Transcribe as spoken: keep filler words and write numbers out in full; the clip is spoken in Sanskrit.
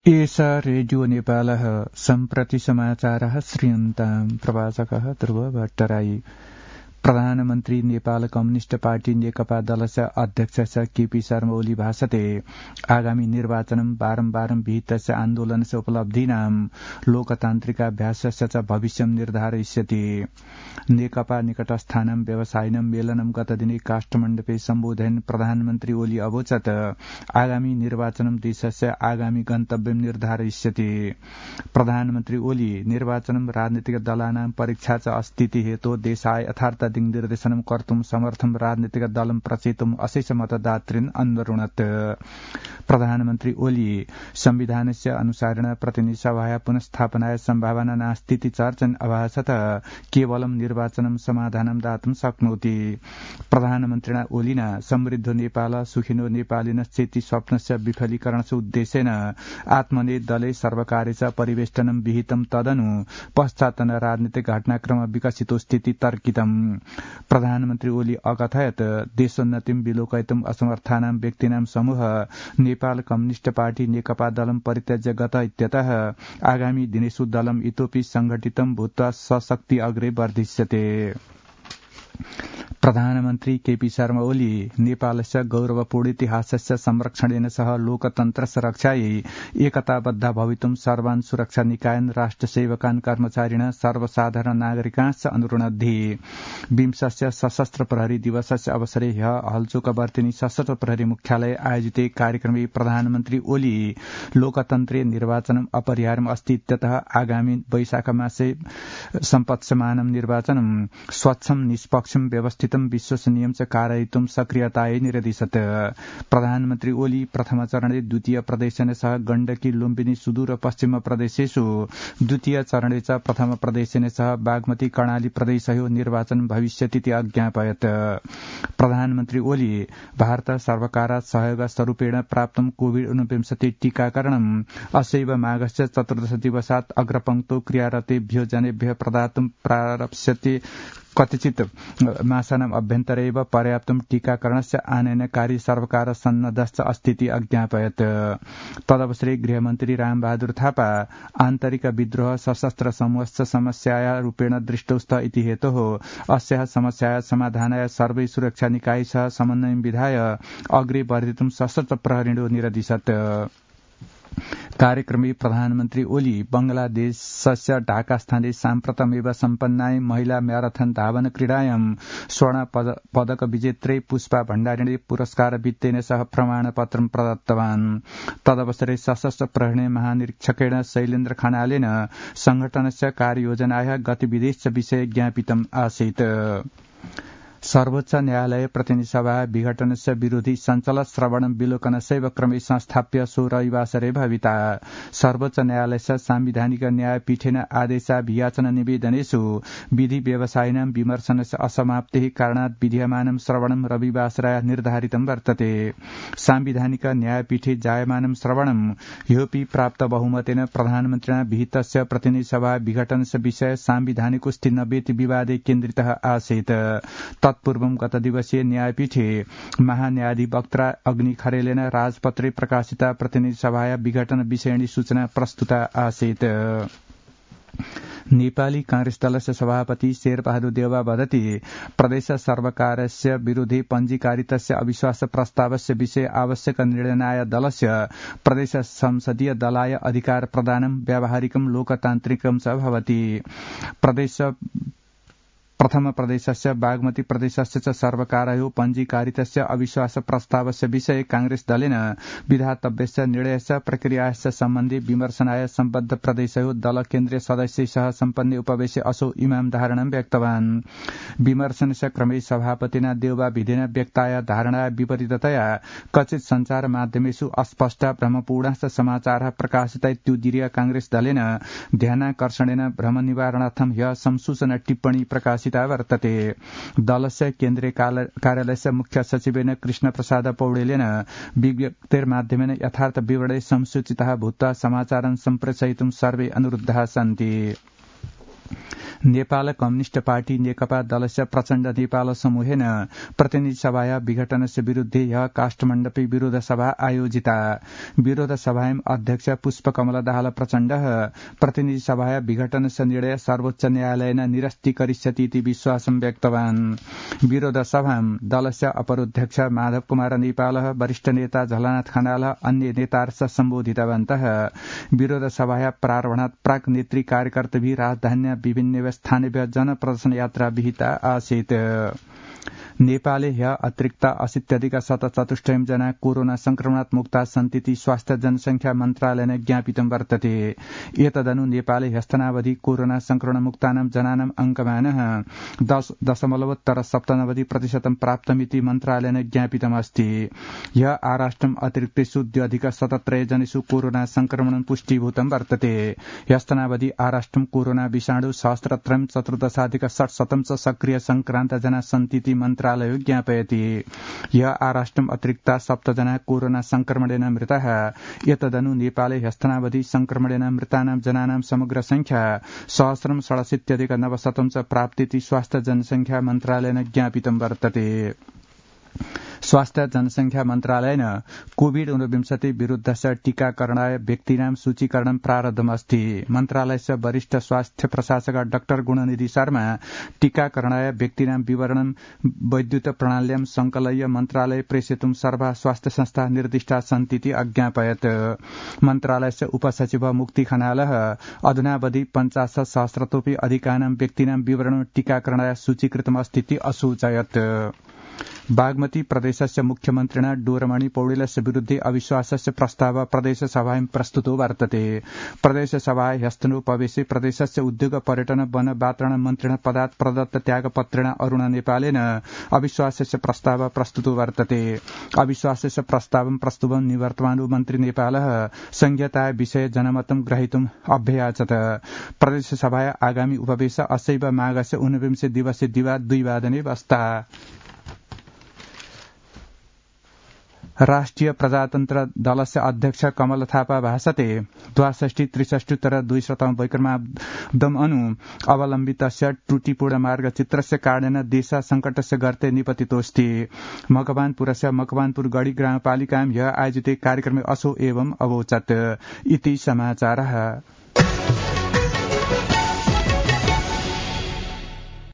एषा रेडियो नेपालः सम्प्रति समाचारः श्रूयन्ताम् प्रवाचकः ध्रुव भट्टराई। प्रधानमन्त्री नेपाल कम्युनिष्ट पार्टी नेकपा दलस्य अध्यक्षस्य केपी शर्मा ओली भाषते आगामी निर्वाचनं बारम्बारं विहितस्य आन्दोलनस्य उपलब्धीनां लोकतान्त्रिकाभ्यासस्य च भविष्यं निर्धारयिष्यति। नेकपा निकटस्थानं व्यवसायिनं मेलनं गतदिने काष्ठमण्डपे सम्बोधयन् प्रधानमन्त्री ओली अवोचत् आगामी निर्वाचनं देशस्य आगामी गन्तव्यं निर्धारयिष्यति। प्रधानमन्त्री ओली निर्वाचनं राजनीतिक दलानां परीक्षा च अस्ति हेतु देशाय यथार्थ दिङ्निर्देशनं कर्तुं समर्थं राजनीतिक दलं प्रचेतुम् अशेष मतदातृन् अनुरुणत्। प्रधानमन्त्री ओली संविधानस्य अनुसारेण प्रतिनिधिसभाया पुनस्थापनाय सम्भावना नास्तीति चर्चन् अभासत केवलं निर्वाचनं समाधानं दातुं शक्नोति। प्रधानमन्त्रिणा ओलिना समृद्ध नेपाल सुखिनो नेपालिनश्चेति स्वप्नस्य विफलीकरणस्य उद्देश्येन आत्मनिर्भर सर्वकारे च परिवेष्टनं विहितं तदनु पश्चातन राजनीतिक घटनाक्रम विकसितो स्थिति तर्कितम्। प्रधानमन्त्री ओली अकथयत् देशोन्नतिं विलोकयितुम् असमर्थानां व्यक्तीनां समूह नेपाल कम्युनिष्ट पार्टी नेकपा दलं परित्यज्य गत इत्यतः आगामी दिनेषु दलम् इतोपि संघटितं भूत्वा सशक्ति अग्रे वर्धिष्यते। प्रधानमन्त्री केपी शर्मा ओली नेपालस्य गौरवपूर्ण इतिहासस्य संरक्षणेन सह लोकतन्त्रस्य रक्षायै एकताबद्ध भवितुं सर्वान् सुरक्षा निकायन् राष्ट्रसेवकान् कर्मचारिण सर्वसाधारण नागरिकांश्च अनुरुणद्धि। विंशस्य सशस्त्र प्रहरी दिवसस्य अवसरे ह्यः हल्चोकवर्तिनी सशस्त्र प्रहरी मुख्यालये आयोजिते कार्यक्रमे प्रधानमन्त्री ओली लोकतन्त्रे निर्वाचनम् अपरिहार्यम् अस्ति इत्यतः आगामी वैशाख मासे सम्पत्स्यमानं निर्वाचनं स्वच्छं निष्पक्षं व्यवस्थित विश्वसनीयं च कारयितुं सक्रियतायै निर्दिशत्। प्रधानमन्त्री ओली प्रथम चरणे द्वितीय प्रदेशेन सह गण्डकी लुम्बिनी सुदूर पश्चिम प्रदेशेषु द्वितीय चरणे च प्रथम प्रदेशेन सह बागमती कर्णाली प्रदेशयो निर्वाचन भविष्यतीति अज्ञापयत्। प्रधानमन्त्री ओली भारत सर्वकारात् सहयोग स्वरूपेण प्राप्तं कोविड ऊनविंशति टीकाकरणम् असैव माघस्य चतुर्दश दिवसात् अग्रपङ्क्तौ क्रियारतेभ्यो जनेभ्यः प्रदातुं प्रारप्स्यते। कतिचित् मासानाम् अभ्यन्तरेव पर्याप्तं टीकाकरणस्य आनयनकारी सर्वकार सन्नद्धश्च अस्तीति अज्ञापयत्। तदवसरे गृहमन्त्री रामबहादुर थापा आन्तरिक विद्रोह सशस्त्र समूहस्य समस्याया रूपेण दृष्टौ स्त इति हेतोः अस्याः समस्याया समाधानाय सर्वै सुरक्षा निकाय सह समन्वयं विधाय अग्रे वर्धितुं सशस्त्र प्रहरीणो निर्दिशत्। कार्यक्रमे प्रधानमन्त्री ओली बंगलादेशस्य ढाकास्थाने साम्प्रतमेव सम्पन्नाय महिला म्याराथन धावन क्रीडायां स्वर्ण पदक विजेत्रे पुष्पा भण्डारिणे पुरस्कार वित्तेन सह प्रमाणपत्रं प्रदत्तवान्। तदवसरे सशस्त्र प्रहरी महानिरीक्षकेण शैलेन्द्र खनालेन संघटनस्य कार्ययोजनायाः गतिविधिश्च विषये ज्ञापितम् आसीत्। सर्वोच्च न्यायालय प्रतिनिधिसभा विघटनस्य विरोधी संचलन श्रवणं विलोकनस्यैव क्रमे संस्थाप्य सो रविवासरे भविता। सर्वोच्च न्यायालयस्य सांविधानिक न्यायपीठेन आदेशाभियाचन निवेदनेषु विधि व्यवसायिनां विमर्शनस्य असमाप्तेः कारणात् विधीयमानं श्रवणं रविवासराय निर्धारितं वर्तते। सांविधानिक न्यायपीठे जायमानं श्रवणं ह्योपि प्राप्त बहुमतेन प्रधानमन्त्रिणा विहितस्य प्रतिनिधिसभा विघटनस्य विषय सांविधानिकोऽस्ति नवेति विवादे केन्द्रितः आसीत्। तत्पूर्वं गतदिवसीय न्यायपीठे महान्यायाधिवक्ता अग्नि खरेलेन राजपत्रे प्रकाशिता प्रतिनिधिसभाया विघटन विषयिणी सूचना प्रस्तुता आसीत्। नेपाली कांग्रेस दलस्य सभापति शेरबहादुर देउवा वदति प्रदेश सर्वकारस्य विरोधे पञ्जीकारितस्य अविश्वास प्रस्तावस्य विषये आवश्यक निर्णयाय दलस्य प्रदेश संसदीय दलाय अधिकार प्रदानं व्यावहारिकं लोकतान्त्रिकं च भवति। प्रदेश प्रथम प्रदेशस्य बागमती प्रदेशस्य च सर्वकारयो पञ्जीकारितस्य अविश्वास प्रस्तावस्य विषये कांग्रेस दलेन विधातव्यस्य निर्णयस्य प्रक्रियास्य सम्बन्धी विमर्शनाय सम्बद्ध प्रदेशयो दल केन्द्रीय सदस्यै सह सम्पन्ने उपवेशे असौ इमाम धारणं व्यक्तवान्। विमर्शनस्य क्रमे सभापतिना देउवा विधेन व्यक्ताया धारणा विपरीततया कथित संचार माध्यमेषु अस्पष्ट भ्रमपूर्णश्च समाचारः प्रकाशिता इत्युदीर्य कांग्रेस दलेन ध्यानाकर्षणेन भ्रम निवारणार्थं ह्यः संसूचना टिप्पणी प्रकाशिता वर्तते। दलस्य केन्द्रीय कार्यालयस्य मुख्य सचिवेन कृष्ण प्रसाद पौडेलेन विज्ञप्तिर्माध्यमेन यथार्थ विवरणे संसूचितः भूत्वा समाचारं सम्प्रेषयितुं सर्वे अनुरुद्धाः सन्ति। नेपाल कम्युनिस्ट पार्टी नेकपा दलस्य प्रचण्ड नेपाल समूहेन प्रतिनिधि सभाया विघटनस्य विरुद्धे ह्य काष्ठमण्डपी विरोध सभा आयोजिता विरोध सभायां अध्यक्ष पुष्पकमल दाहाल प्रचण्ड प्रतिनिधि सभाया विघटनस्य निर्णय सर्वोच्च न्यायालयेन निरस्तीकरिष्यति इति विश्वासं व्यक्तवान् विरोध सभां दलस्य अपरोध्यक्ष माधव कुमार नेपाल वरिष्ठ नेता झलनाथ खनाल अन्य नेतारः सम्बोधितवन्तः विरोध सभाया प्रारम्भात् प्राक् नेत्री कार्यकर्ताभिः राजधान्या विभिन्न स्थानीय जनप्रदर्शन यात्रा विहिता आसीत् नेपाले ह्य अतिरिक्त अशीत्यधिक शतचतुष्टयं जना कोरोना संक्रमणात् मुक्ता सन्तीति स्वास्थ्य जनसंख्या मन्त्रालयेन ज्ञापितं वर्तते एतदनु नेपाले ह्यस्तनावधि कोरोना संक्रमण मुक्तानां जनानां अङ्कमानः दश दशमलवोत्तर सप्तनवति प्रतिशतं प्राप्तमिति मन्त्रालयेन ज्ञापितमस्ति ह्य आराष्ट्रम् अतिरिक्तेषु द्व्यधिक शतत्रय जनेषु कोरोना संक्रमणं पुष्टीभूतं वर्तते ह्यस्तनावधि आराष्ट्रं कोरोना विषाणु सहस्रत्रयं चतुर्दशाधिक षट्शतं च सक्रिय संक्रान्त जना सन्तीति मन्त्रालय ज्ञापयति ह्य आराष्ट्रम् अतिरिक्ता सप्तजना कोरोना संक्रमणेन मृताः एतदनु नेपाले ह्यस्तनावधि संक्रमणेन मृतानां जनानां समग्र संख्या सहस्रं षडशीत्यधिक नवशतं च प्राप्तिति स्वास्थ्य जनसंख्या मन्त्रालयेन ज्ञापितं वर्तते स्वास्थ्य जनसंख्या मन्त्रालयेन कोविड ऊनविंशति विरुद्धस्य टीकाकरणाय व्यक्तीनां सूचीकरणं प्रारब्धमस्ति मन्त्रालयस्य वरिष्ठ स्वास्थ्य प्रशासक डाक्टर गुणनिधि शर्मा टीकाकरणाय व्यक्तीनां विवरणं वैद्युत प्रणाल्यां संकलय्य मन्त्रालये प्रेषयितुं सर्वा स्वास्थ्य संस्था निर्दिष्टा सन्तीति अज्ञापयत् मन्त्रालयस्य उपसचिव मुक्ति खनालः अधुनावधि पञ्चाशत् सहस्रतोऽपि अधिकानां व्यक्तीनां विवरणं टीकाकरणाय सूचीकृतमस्तीति असूचयत् बागमती प्रदेशस्य मुख्यमन्त्रिणा डोरमणि पौडेलस्य विरुद्धे अविश्वासस्य प्रस्ताव प्रदेशसभायां प्रस्तुतो वर्तते प्रदेशसभाय ह्यस्तनोपवेशे प्रदेशस्य उद्योग पर्यटन वन वातावरण मन्त्रिणा पदात् प्रदत्त त्यागपत्रेण अरुण नेपालेन अविश्वासस्य प्रस्ताव प्रस्तुतो वर्तते अविश्वासस्य प्रस्तावं प्रस्तुतं निवर्तमानो मन्त्री नेपालः संहिताय विषये जनमतं ग्रहीतुम् अभ्ययाचत प्रदेशसभाया आगामी उपवेश असैव माघस्य ऊनविंशे दिवसे दिवा द्विवादने बस्ता राष्ट्रिय प्रजातन्त्र दलस्य अध्यक्ष कमल थापा भाषते द्वाषष्टि त्रिषष्टुत्तर द्विशतं वैक्रमाब्दम् अनु अवलम्बितस्य त्रुटिपूर्ण मार्गचित्रस्य कारणेन देश संकटस्य गर्ते निपतितोऽस्ति मकवानपुरस्य मकवानपुर गढी ग्रामपालिकायां ह्य आयोजिते कार्यक्रमे असो एवं अवोचत् इति समाचारः।